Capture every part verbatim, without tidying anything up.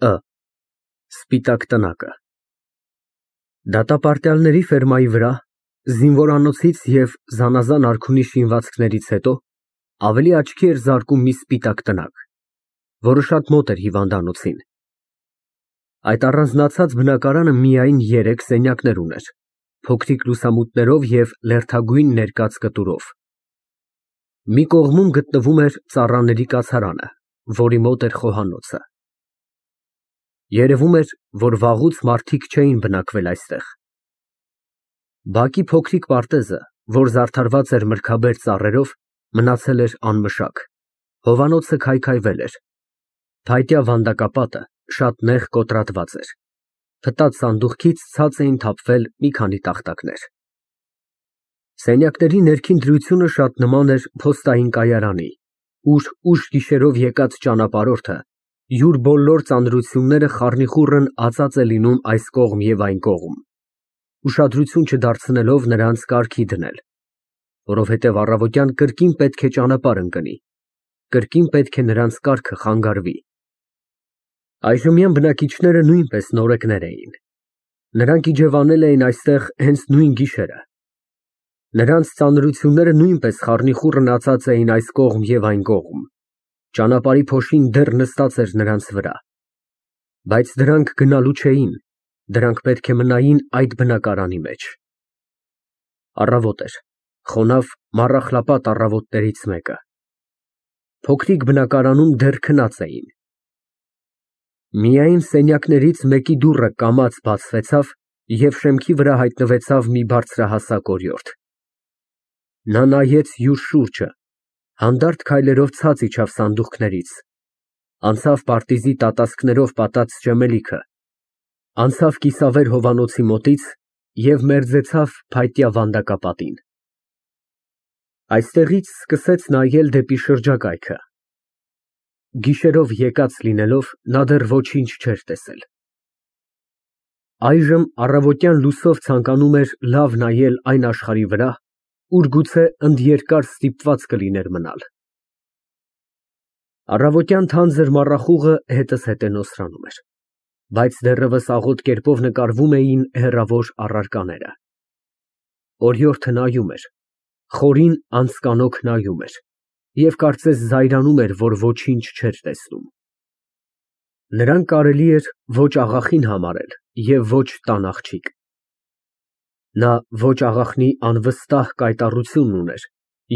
Ը Սպիտակ տնակը Դատապարտյալների ֆերմայի վրա, զինվորանոցից և զանազան արքունի շինվածքներից հետո ավելի աչքի էր զարկում մի սպիտակ տնակ, որը շատ մոտ էր հիվանդանոցին։ Այդ առանձնացած բնակարանը միայն երեք սենյակներ ուներ, փոքրիկ լուսամուտներով և լերդագույն ներկած կտուրով։ Մի կողմում գտնվում էր ծառաների կացարանը, որի մոտ էր խոհանոցը։ Երևում էր, որ վաղուց մարդիկ չէին բնակվել այստեղ։ Բակի փոքրիկ պարտեզը, որ զարդարված էր մրգաբեր ծառերով, մնացել էր անմշակ, հովանոցը քայքայվել էր, փայտյա վանդակապատը շատ նեղ կոտրատված էր, փտած սանդուղքից ցած էին թափվել մի քանի տախտակներ։ Սենյակների ներքին դրությունը շատ նման էր փոստային կայարանի, ուր ուշ գիշերով եկած ճանապարհորդը յուր բոլոր ծանրությունները խառնիխուռն ածած է լինում այս կողմ և այն կողմ, ուշադրություն չդարձնելով նրանց կարգի դնել, որովհետև առավոտյան կրկին պետք է ճանապարհ ընկնի, կրկին պետք է նրանց կարգը խանգարվի։ Այժմյան բնակիչները նույնպես նորեկներ էին։ Նրանք իջևանել էին այստեղ հենց նույն գիշերը։ Նրանց ծանրությունները նույնպես խառնիխուռն ածած էին այս կողմ և այն կողմ, ճանապարհի փոշին դեռ նստած էր նրանց վրա։ Բայց դրանք գնալու չէին, դրանք պետք է մնային այդ բնակարանի մեջ։ Առավոտ էր, խոնավ մառախլապատ առավոտներից մեկը։ Փոքրիկ բնակարանում դեռ քնած էին։ Միայն սենյակներից մեկի դուռը կամաց բացվեցավ և շեմքի վրա հայտնվեցավ մի բարձրահասակ օրիորդ։ Նա նայեց յուր շուրջը, հանդարտ քայլերով ցած իջավ սանդուղքներից, անցավ պարտիզի տատասկներով պատած ջեմելիքը, անցավ կիսավեր հովանոցի մոտից և մերձեցավ փայտյա վանդակապատին։ Այստեղից սկսեց նայել դեպի շրջակայքը։ Գիշերով եկած լինելով, նա դեռ ոչինչ չէր տեսել։ Այժմ առավոտյան լուսով ցանկանում էր լավ նայել այն աշխարհի վրա, ուր գուցե ընդերկար ստիպված կլիներ մնալ։ Առավոտյան թանձր մառախուղը հետզհետե հետենոսրանում էր, բայց դեռևս աղոտ կերպով նկարվում էին հեռավոր առարկաները։ Օրիորդը նայում էր, խորին անձկանոք նայում էր և կարծես զայրանում էր, որ ոչինչ չէր տեսնում։ Նրան կարելի էր ոչ աղախին համարել և ոչ տան աղջիկ։ Նա ոչ աղախնի անվստահ կայտառությունն ուներ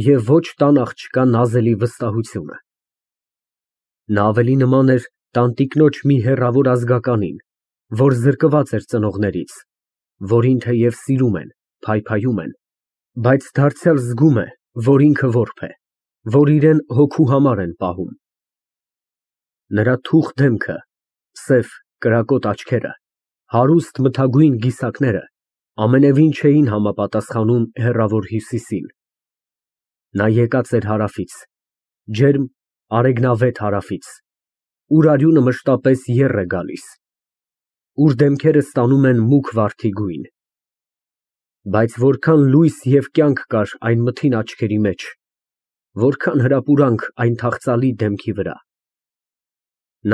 և ոչ տան աղջկա նազելի վստահությունը։ Նա ավելի նման էր տանտիկնոջ մի հեռավոր ազգականին, որ զրկված էր ծնողներից, որին թեև սիրում են, փայփայում են, բայց դարձյալ զգում է, որ ինքը որբ է, որ իրան հոգու համար են պահում։ Նրա թուխ դեմքը, սև կրակոտ աչքերը, հարուստ մթագույն գիսակները ամենևին չէին համապատասխանում հեռավոր Հյուսիսին։ Նա եկած էր հարավից, ջերմ արեգնավետ հարավից, ուր արյունը մշտապես եռ է գալիս, ուր դեմքերը ստանում են մուգ վարդի գույն։ Բայց որքան լույս և կյանք կար այն մթին աչքերի մեջ, որքան հրապուրանք այն թախծալի դեմքի վրա։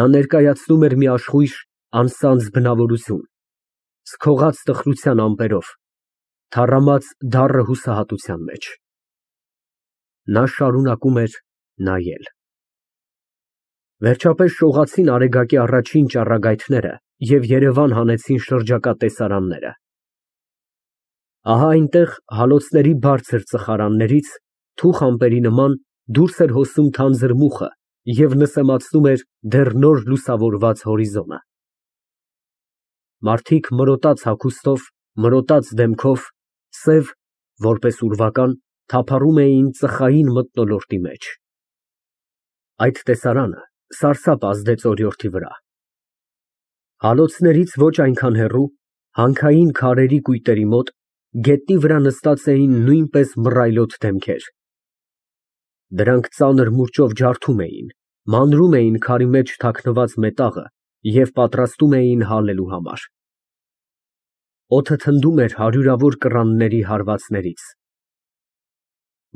Նա ներկայացնում էր մի աշխույժ, անսանձ բնավորություն, սքողած տխրության ամպերով, թառամած դառը հուսահատության մեջ։ Նա շարունակում էր նայել։ Վերջապես շողացին Արեգակի առաջին ճառագայթները և երևան հանեցին շրջակա տեսարանները։ Ահա այնտեղ հալոցների բարձր ծխարաններից, թուխ ամպերի նման, դուրս էր հոսում թանձր մուխը և նսեմացնում էր դեռ նոր լուսավորված հորիզոնը։ Մարդիկ մրոտած հագուստով, մրոտած դեմքով, սև, որպես ուրվական, թափառում էին ծխային մթնոլորտի մեջ։ Այդ տեսարանը սարսափ ազդեց օրիորդի վրա։ Հալոցներից ոչ այնքան հեռու, հանքային քարերի կույտերի մոտ, գետնի վրա նստած էին նույնպես մռայլոտ դեմքեր։ Դրանք ծանր մուրճով ջարդում էին, մանրում էին քարի մեջ թաքնված մետաղը և պատրաստում էին հալելու համար։ Օդը թնդում էր հարյուրավոր կռանների հարվածներից։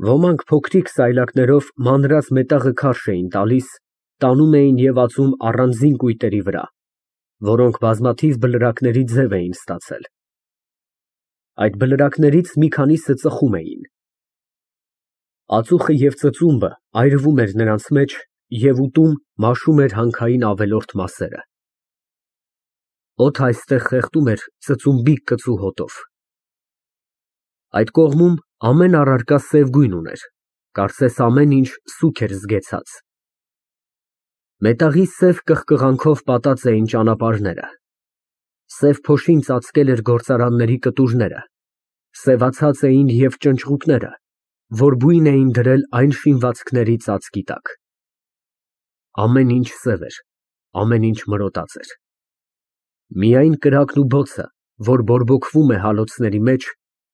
Ոմանք փոքրիկ սայլակներով մանրած մետաղը քարշ էին տալիս, տանում էին և ածում առանձին կույտերի վրա, որոնք բազմաթիվ բլրակների ձև էին ստացել։ Այդ բլրակներից մի քանիսը ծխում էին։ Ածուխը և ծծումբը այրվում էր նրանց մեջ և ուտում մաշում էր հանքային ավելորդ մասերը։ Օդը այստեղ խեղդում էր ծծումբի կծու հոտով։ Այդ կողմում ամեն առարկա սև գույն ուներ, կարծես ամեն ինչ սուգ էր զգեցած։ Մետաղի սև կղկղանքով պատած էին ճանապարհները, սև փոշին ծածկել էր գործարանների կտուրները, սևացած էին և ճնճղուկները, որ բույն էին դրել այն շինվածքների ծածկի տակ։ Ամեն ինչ սև էր, ամեն ինչ մրոտած էր։ Միայն կրակն ու բոցը, որ բորբոքվում է հալոցների մեջ,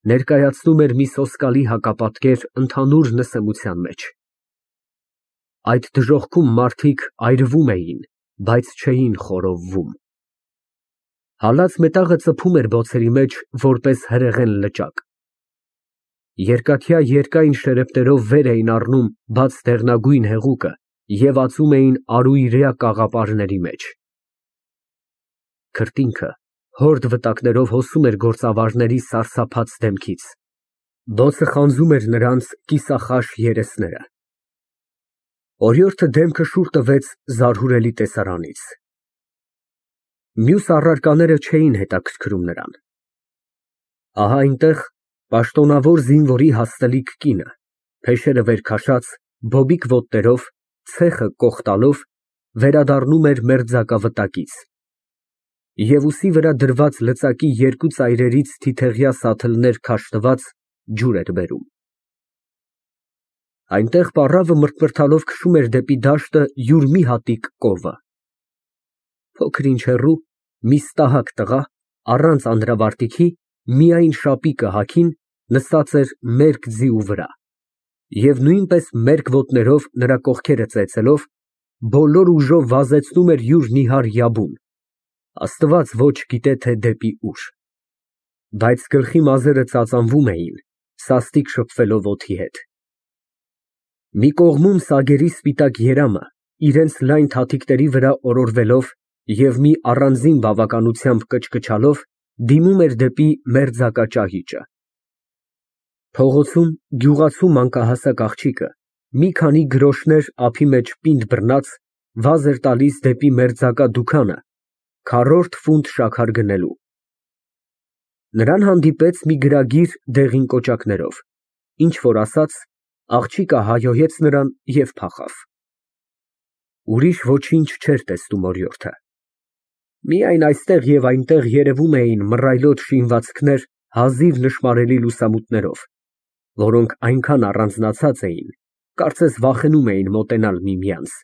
ներկայացնում էր մի սոսկալի հակապատկեր ընդհանուր նսեմության մեջ։ Այդ դժոխքում մարդիկ այրվում էին, բայց չէին խորովվում։ Հալած մետաղը ծփում էր բոցերի մեջ, որպես հրեղեն լճակ։ Երկաթյա երկայն շերեփներով վեր էին առնում բաց դեղնագույն հեղուկը և ածում էին արուիրյա կաղապարների մեջ։ Քրտինքը հորդ վտակներով հոսում էր գործավարների սարսափած դեմքից։ Բոցը խանձում էր նրանց կիսախաշ երեսները։ Օրիորդը դեմքը շուռ տվեց զարհուրելի տեսարանից։ Մյուս առարկաները չէին հետաքրքրում նրան։ Ահա այնտեղ պաշտոնավոր զինվորի հաստլիկ կինը, փեշերը վեր քաշած, բոբիկ ոտներով, ցեխը կոխ տալով, վերադառնում էր մերձակա վտակից և ուսի վրա դրված լծակի երկու ծայրերից թիթեղյա սաթլներ քաշտված ջուր էր բերում։ Այնտեղ պառավը մրթմրթալով քշում էր դեպի դաշտը յուր մի հատիկ կովը։ Փոքր ինչ հեռու, մի ստահակ տղա, առանց անդրավարտիքի, միայն շապիկը հագին, նստած էր մերկ ձիու վրա և նույնպես մերկ ոտներով, նրա կողքերը ծեծելով, բոլոր ուժով վազեցնում էր յուր նիհար յաբուն, Աստված ոչ գիտե թե դեպի ուր։ Բայց գլխի մազերը ծածանվում էին, սաստիկ շփվելով օդի հետ։ Մի կողմում սագերի սպիտակ երամը, իրենց լայն թաթիկների վրա օրորվելով և մի առանձին բավականությամբ կչկչալով, դիմում էր դեպի մերձակա ճահիճը։ Փողոցում գյուղացու մանկահասակ աղջիկը, մի քանի գրոշներ ափի մեջ պինդ բռնած, վազ էր տալիս դեպի մերձակա դուքանը քառորդ ֆունտ շաքար գնելու։ Նրան հանդիպեց մի գրագիր դեղին կոճակներով, ինչ որ ասաց, աղջիկը հայհոյեց նրան և փախավ։ Ուրիշ ոչինչ չէր տեսնում օրիորդը։ Միայն այստեղ և այնտեղ երևում էին մռայլոտ շինվածքներ հազիվ նշմարելի լուսամուտներով, որոնք այնքան առանձնացած էին, կարծես վախենում էին մոտենալ միմյանց։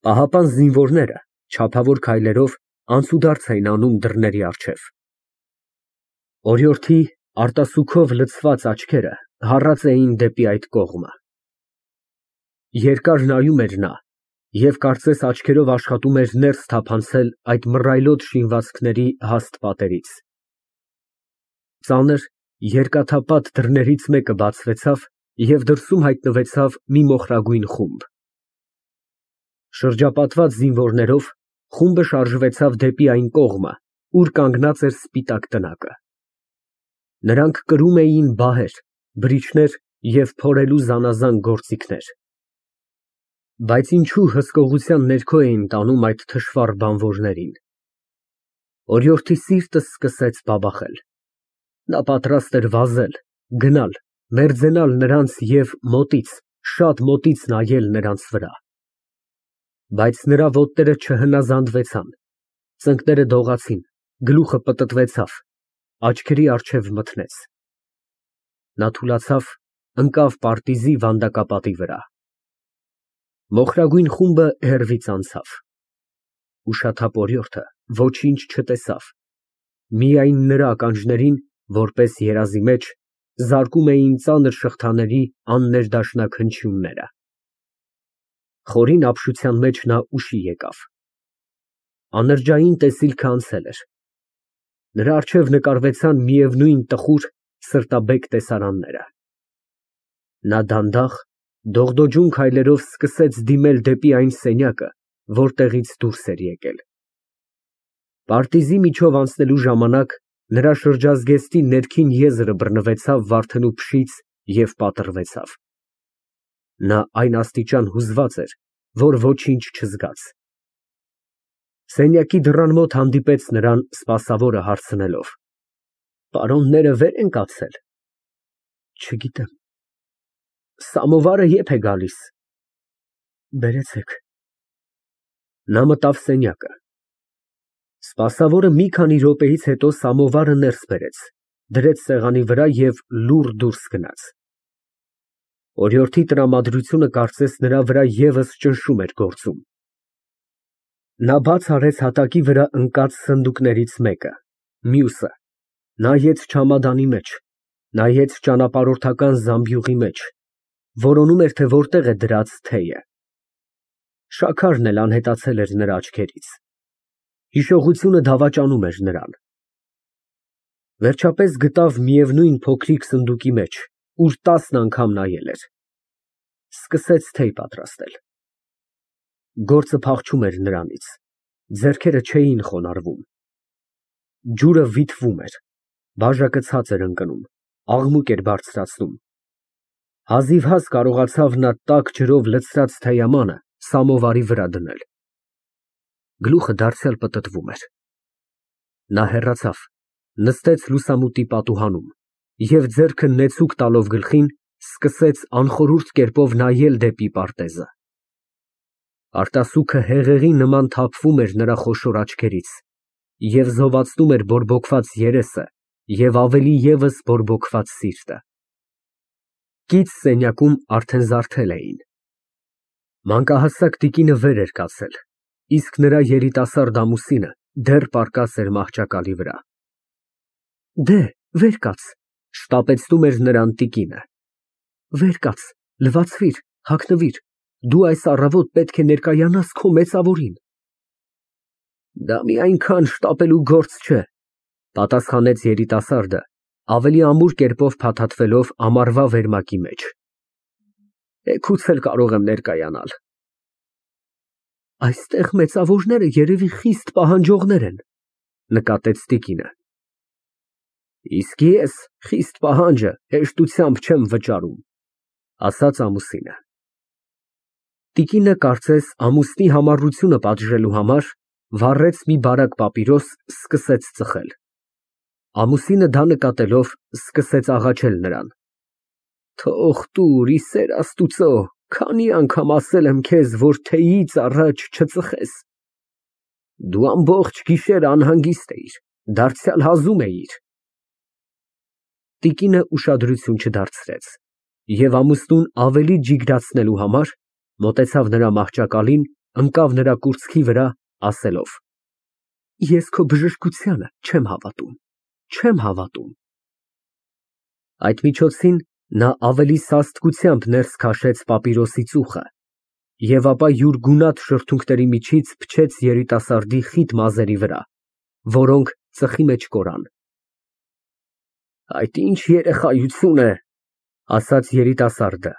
Պահապան զինվորները չափավոր քայլերով անցուդարձ էին անում դռների առջև։ Օրիորդի արտասուքով լցված աչքերը հառած էին դեպի այդ կողմը։ Երկար նայում էր նա և կարծես աչքերով աշխատում էր ներս թափանցել այդ մռայլոտ շինվածքների հաստ պատերից։ Ծանր, երկաթապատ դռներից մեկը բացվեցավ և դրսում հայտնվեցավ մի մոխրագույն խումբ։ Շրջապատված զինվորներով, խումբը շարժվեցավ դեպի այն կողմը, ուր կանգնած էր սպիտակ տնակը։ Նրանք կրում էին բահեր, բրիչներ և փորելու զանազան գործիքներ։ Բայց ինչու հսկողության ներքո էին տանում այդ թշվառ բանվորներին։ Օրիորդի սիրտը սկսեց բաբախել։ Նա պատրաստ էր վազել, գնալ, մերձենալ նրանց և մոտից, շատ մոտից նայել նրանց վրա։ Բայց նրա ոտները չհնազանդվեցան, ծնկները դողացին, գլուխը պտտվեցավ, աչքերի առջև մթնեց։ Նա թուլացավ, ընկավ պարտիզի վանդակապատի վրա։ Մոխրագույն խումբը հեռվից անցավ։ Ուշաթափ օրիորդը ոչինչ չտեսավ, միայն նրա ականջներին, որպես երազի մեջ, զարկում էին ծանր շղթաների աններդաշնակ հնչյունները։ Խորին ապշության մեջ նա ուշի եկավ։ Անրջային տեսիլքը անցել էր։ Նրա առջև նկարվեցան միևնույն տխուր, սրտաբեկ տեսարանները։ Նա դանդաղ, դողդոջուն քայլերով սկսեց դիմել դեպի այն սենյակը, որտեղից դուրս էր եկել։ Պարտիզի միջով անցնելու ժամանակ նրա շրջազգեստի ներքին եզրը բռնվեցավ Վարդենու փշից և պատռվեցավ։ Նա այն աստիճան հուզված էր, որ ոչինչ չզգաց։ Սենյակի դռան մոտ հանդիպեց նրան սպասավորը հարցնելով. Պարոնները վեր են կացել։ Չգիտեմ։ Սամովարը ե՞րբ է գալիս։ Բերեցեք։ Նա մտավ սենյակը։ Սպասավորը մի քանի րոպեից հետո սամովարը ներս բերեց, դրեց սեղանի վրա և լուռ դուրս գնաց։ Օրիորդի տրամադրությունը կարծես նրա վրա ևս ճնշում էր գործում։ Նա բաց արեց հատակի վրա ընկած սնդուկներից մեկը, մյուսը, նայեց չամադանի մեջ, նայեց ճանապարհորդական զամբյուղի մեջ, որոնում էր, թե որտեղ է դրած թեյը։ Շաքարն էլ անհետացել էր նրա աչքերից։ Հիշողությունը դավաճանում էր նրան։ Վերջապես գտավ միևնույն փոքրիկ սնդուկի մեջ, ուր տասն անգամ նայել էր։ Սկսեց թեյ պատրաստել։ Գործը փախչում էր նրանից, ձեռքերը չէին խոնարհվում։ Ջուրը վիթվում էր, բաժակը ցած էր ընկնում, աղմուկ էր բարձրացնում։ Հազիվհազ կարողացավ նա տաք ջրով լցրած թեյամանը սամովարի վրա դնել։ Գլուխը դարձյալ պտտվում էր։ Նա հեռացավ, նստեց լուսամուտի պատուհանում և ձեռքը նեցուկ տալով գլխին, սկսեց անխորհուրդ կերպով նայել դեպի պարտեզը։ Արտասուքը հեղեղի նման թափվում էր նրա խոշոր աչքերից և զովացնում էր բորբոքված երեսը և ավելի ևս բորբոքված սիրտը։ Կից սենյակում արդեն զարթել էին։ Մանկահասակ տիկինը վեր էր կացել, իսկ նրա երիտասարդ ամուսինը դեռ պառկած էր մահճակալի վրա։ Դե, վեր կաց, շտապեցնում էր նրան տիկինը։ Վեր կաց, լվացվիր, հագնվիր, դու այս առավոտ պետք է ներկայանաս քո մեծավորին։ Դա մի այնքան շտապելու գործ չէ, պատասխանեց երիտասարդը, ավելի ամուր կերպով փաթաթվելով ամառվա վերմակի մեջ։ Էգուց էլ կարող եմ ներկայանալ։ Այստեղ մեծավորները երևի խիստ պահանջողներ են, նկատեց տիկինը։ Իսկ ես խիստ պահանջը հեշտությամբ չեմ վճարում, ասաց ամուսինը։ Տիկինը կարծես ամուսնի համառությունը պատժելու համար վառեց մի բարակ պապիրոս, սկսեց ծխել։ Ամուսինը դա նկատելով սկսեց աղաչել նրան։ Թող տուր, ի սեր Աստուծո, քանի անգամ ասել եմ քեզ, որ թեյից առաջ չծխես։ Դու ամբողջ գիշեր անհանգիստ էիր, դարձյալ հազում էիր։ Տիկինը ուշադրություն չդարձրեց և ամուսնուն ավելի ջիգրացնելու համար մոտեցավ նրա մահճակալին, ընկավ նրա կուրծքի վրա, ասելով. Ես քո բժշկությանը չեմ հավատում, չեմ հավատում։ Այդ միջոցին նա ավելի սաստկությամբ ներս քաշեց պապիրոսի ծուխը և ապա յուր գունատ շրթունքների միջից փչեց երիտասարդի խիտ մազերի վրա, որոնք ծխի մեջ կորան։ Այդ ինչ երեխայություն է, ասաց երիտասարդը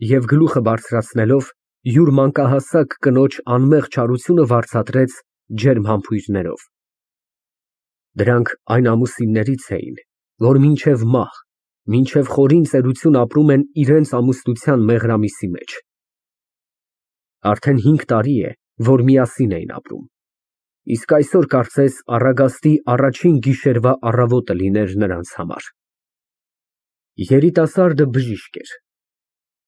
և գլուխը բարձրացնելով յուր մանկահասակ կնոջ անմեղ չարությունը վարձատրեց ջերմ համբույրներով։ Դրանք այն ամուսիններից էին, որ մինչև մահ, մինչև խորին ծերություն ապրում են իրենց ամուսնության մեղրամիսի մեջ։ Արդեն հինգ տարի է, որ միասին էին ապրում, իսկ այսօր կարծես առագաստի առաջին գիշերվա առավոտը լիներ նրանց համար։ Երիտասարդը բժիշկ էր։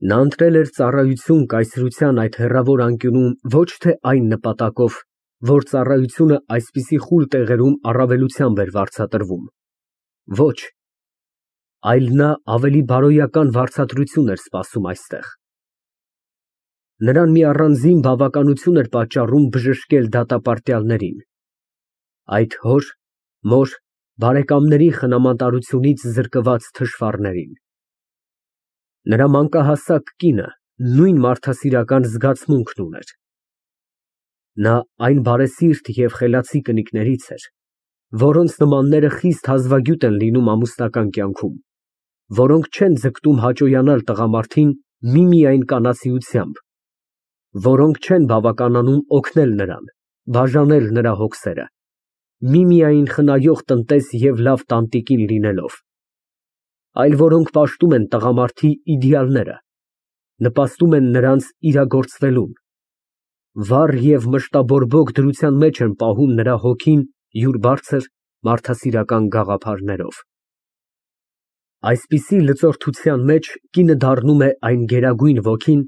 Նա ընտրել էր ծառայություն կայսրության այդ հեռավոր անկյունում ոչ թե այն նպատակով, որ ծառայությունը այսպիսի խուլ տեղերում առավելությամբ էր վարձատրվում։ Ոչ, այլ նա ավելի բարոյական վարձատրություն էր սպասում այստեղ։ Նրան մի առանձին բավականություն էր պատճառում բժշկել դատապարտյալներին, այդ հոր, մոր, բարեկամների խնամատարությունից զրկված թշվառներին։ Նրա մանկահասակ կինը նույն մարդասիրական զգացմունքն ուներ։ Նա այն բարեսիրտ և խելացի կնիկներից էր, որոնց նմանները խիստ հազվագյուտ են լինում ամուսնական կյանքում, որոնք չեն ձգտում հաճոյանալ տղամարդին միմիայն կանացիությամբ, որոնք չեն բավականանում օգնել նրան, բաժանել նրա հոգսերը, միմիայն խնայող տնտես և լավ տանտիկին լինելով, այլ որոնք պաշտում են տղամարդի իդեալները, նպաստում են նրանց իրագործվելուն, վառ և մշտաբորբոք դրության մեջ են պահում նրա հոգին յուր բարձր, մարդասիրական գաղափարներով։ Այսպիսի լծորթության մեջ կինը դառնում է այն գերագույն ոգին,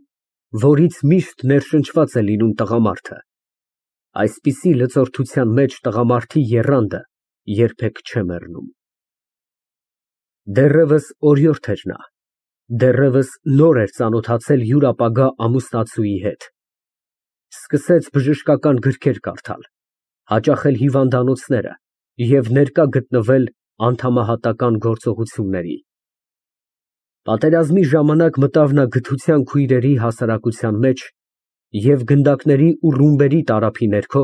որից միշտ ներշնչված է լինում տղամարդը, այսպիսի լծորթության մեջ տղամարդի եռանդը երբեք չէ մեռնում։ Դեռևս օրիորդ էր նա, դեռևս նոր էր ծանոթացել յուր ապագա ամուսնացուի հետ, սկսեց բժշկական գրքեր կարդալ, հաճախել հիվանդանոցները և ներկա գտնվել անդամահատական գործողությունների։ Պատերազմի ժամանակ մտավ նա գթության քույրերի հասարակության մեջ և գնդակների ու ռումբերի տարափի ներքո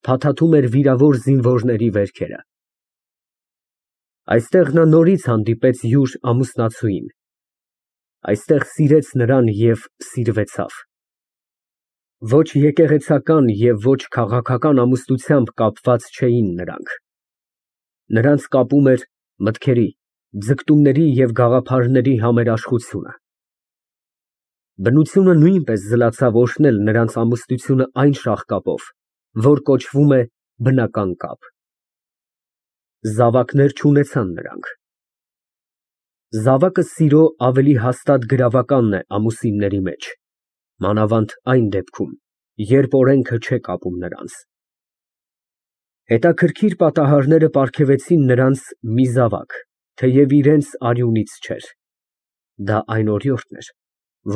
փաթաթում էր վիրավոր զինվորների վերքերը։ Այստեղ նա նորից հանդիպեց յուր ամուսնացուին, այստեղ սիրեց նրան և սիրվեցավ։ Ոչ եկեղեցական և ոչ քաղաքական ամուսնությամբ կապված չէին նրանք, նրանց կապում էր մտքերի, ձգտումների և գաղափարների համերաշխությունը։ Բնությունը նույնպես զլացավ օրհնել նրանց ամուսնությունը այն շաղկապով, որ կոչվում է բնական կապ։ Զավակներ չունեցան նրանք։ Զավակը սիրո ավելի հաստատ գրավականն է ամուսինների մեջ, մանավանդ այն դեպքում, երբ օրենքը չէ կապում նրանց։ Հետաքրքիր պատահարները պարգևեցին նրանց մի զավակ, թեև իրենց արյունից չէր, դա այն օրիորդն էր,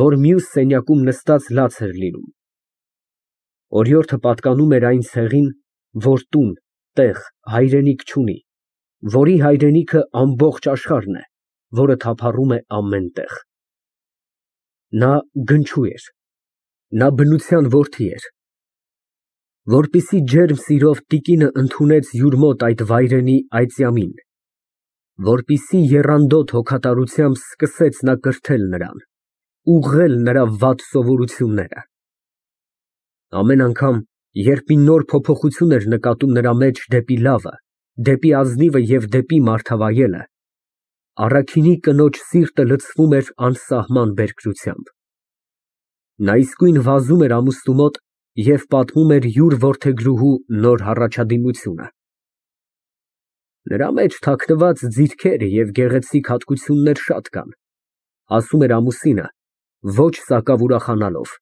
որ մյուս սենյակում նստած լաց էր լինում։ Օրիորդը պատկանում էր այն ցեղին, որ տուն, տեղ, հայրենիք չունի, որի հայրենիքը ամբողջ աշխարհն է, որը թափառում է ամեն տեղ։ Նա գնչու էր, նա բնության որդի էր։ Որպեսզի ջերմ սիրով տիկինը ընդունեց յուր մոտ այդ վայրենի այծյամին, որպեսզի եռանդոտ հոգատարությամբ սկսեց նա կրթել նրան, ուղղել նրա վատ սովորությունները։ Ամեն անգամ, երբ մի նոր փոփոխություն էր նկատում նրա մեջ դեպի լավը, դեպի ազնիվը և դեպի մարդավայելը, առաքինի կնոջ սիրտը լցվում էր անսահման բերկրությամբ։ Նա իսկույն վազում էր ամուսնու մոտ և պատմում էր յուր որդեգրուհու նոր հառաջադիմությունը։ Նրա մեջ թաքնված ձիթքեր և գեղեցիկ հատկություններ շատ կան, ասում էր ամուսինը, ոչ սակավ ուրախանալով,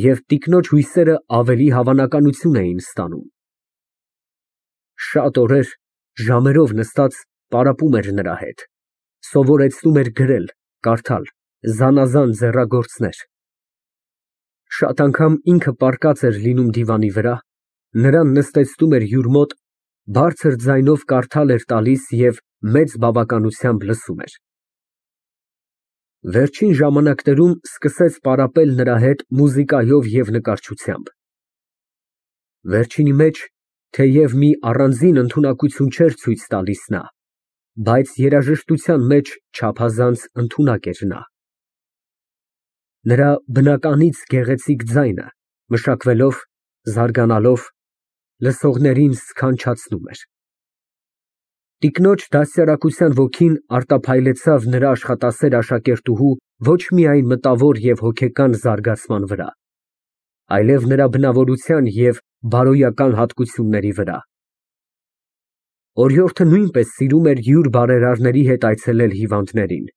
և տիկնոջ հույսերը ավելի հավանականություն էին ստանում։ Շատ օրեր ժամերով նստած պարապում էր նրա հետ, սովորեցնում էր գրել, կարդալ, զանազան ձեռագործներ։ Շատ անգամ ինքը պառկած էր լինում դիվանի վրա, նրան նստեցնում էր յուր մոտ, բարձր ձայնով կարդալ էր տալիս և մեծ բավականությամբ լսում էր։ Վերջին ժամանակներում սկսեց պարապել նրա հետ մուզիկայով և նկարչությամբ։ Վերջինի մեջ, թեև մի առանձին ընդունակություն չէր ցույց տալիս նա, բայց երաժշտության մեջ չափազանց ընդունակ էր նա։ Նրա բնականից գեղեցիկ ձայնը, մշակվելով, զարգանալով, լսողներին սքանչացնում էր։ Տիկնոջ դաստիարակության ոգին արտափայլեցավ նրա աշխատասեր աշակերտուհու ոչ միայն մտավոր և հոգեկան զարգացման վրա, այլև նրա բնավորության և բարոյական հատկությունների վրա։ Օրիորդը նույնպես սիրում էր յուր բարերարների հետ այցելել հիվանդներին,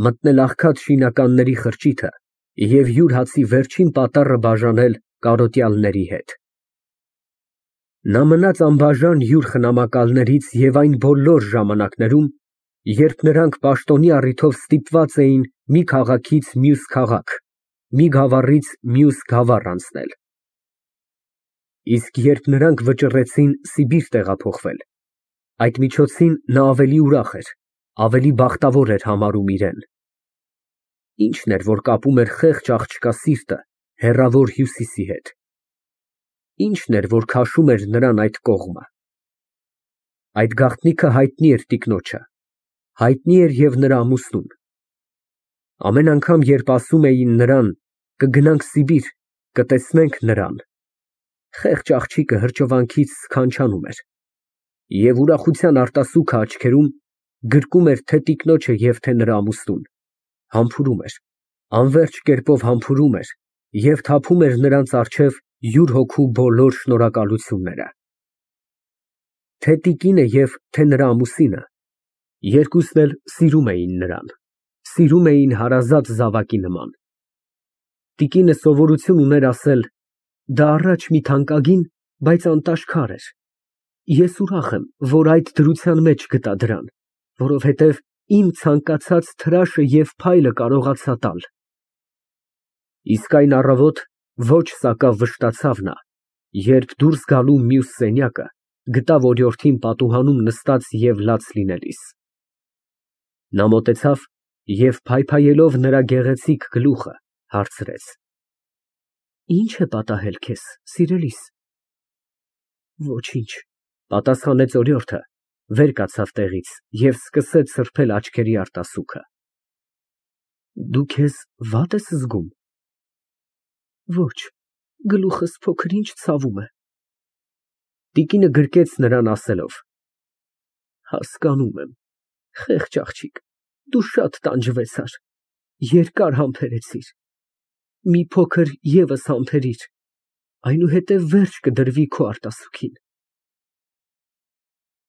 մտնել աղքատ շինականների խրճիթը և յուր հացի վերջին պատառը բաժանել կարոտյալների հետ։ Նա մնաց անբաժան յուր խնամակալներից և այն բոլոր ժամանակներում, երբ նրանք պաշտոնի առիթով ստիպված էին մի քաղաքից մյուս քաղաք, մի գավառից մյուս գավառ անցնել։ Իսկ երբ նրանք վճռեցին Սիբիր տեղափոխվել, այդ միջոցին նա ավելի ուրախ էր, ավելի բախտավոր էր համարում իրեն։ Ի՞նչն էր, որ կապում էր խեղճ աղջկա սիրտը հեռավոր Հյուսիսի հետ։ Ի՞նչն էր, որ քաշում էր նրան այդ կողմը։ Այդ գաղտնիքը հայտնի էր տիկնոջը, հայտնի էր և նրա ամուսնուն։ Ամեն անգամ, երբ ասում էին նրան. «Կգնանք Սիբիր, կտեսնենք նրան», խեղճ աղջիկը հրճվանքից սքանչանում էր, Եվ ուրախության արտասուքը աչքերում գրկում էր թե տիկնոջը և թե նրա ամուսնուն, համբուրում էր, անվերջ կերպով համբուրում էր և թափում էր նրանց առջև յուր հոգու բոլոր շնորհակալությունները։ Թե տիկինը և թե նրա ամուսինը երկուսն էլ սիրում էին նրան, սիրում էին հարազատ զավակի նման։ Տիկինը սովորություն ուներ ասել. «Դա առաջ մի թանկագին, բայց անտաշքար էր։ Ես ուրախ եմ, որ այդ դրության մեջ գտա դրան, որովհետև իմ ցանկացած թրաշը և փայլը կարողացա տալ»։ Իսկ այն առավոտ ոչ սակավ վշտացավ նա, երբ դուրս գալու մյուս սենյակը գտավ օրիորդին պատուհանում նստած և լաց լինելիս։ Նա մոտեցավ և փայփայելով նրա գեղեցիկ գլուխը, հարցրեց. «Ի՞նչ է պատահել քեզ, սիրելիս»։ «Ոչինչ», պատասխանեց օրիորդը, վեր կացավ տեղից և սկսեց սրբել աչքերի արտասուքը։ «Դու քեզ վա՞տ ես զգում»։ «Ոչ, գլուխս փոքր֊ինչ ցավում է»։ Տիկինը գրկեց նրան ասելով. «Հասկանում եմ, խեղճ աղջիկ, դու շատ տանջվեցար, երկար համբերեցիր, մի փոքր ևս համբերիր, այնուհետև վերջ կդրվի քո արտասուքին»։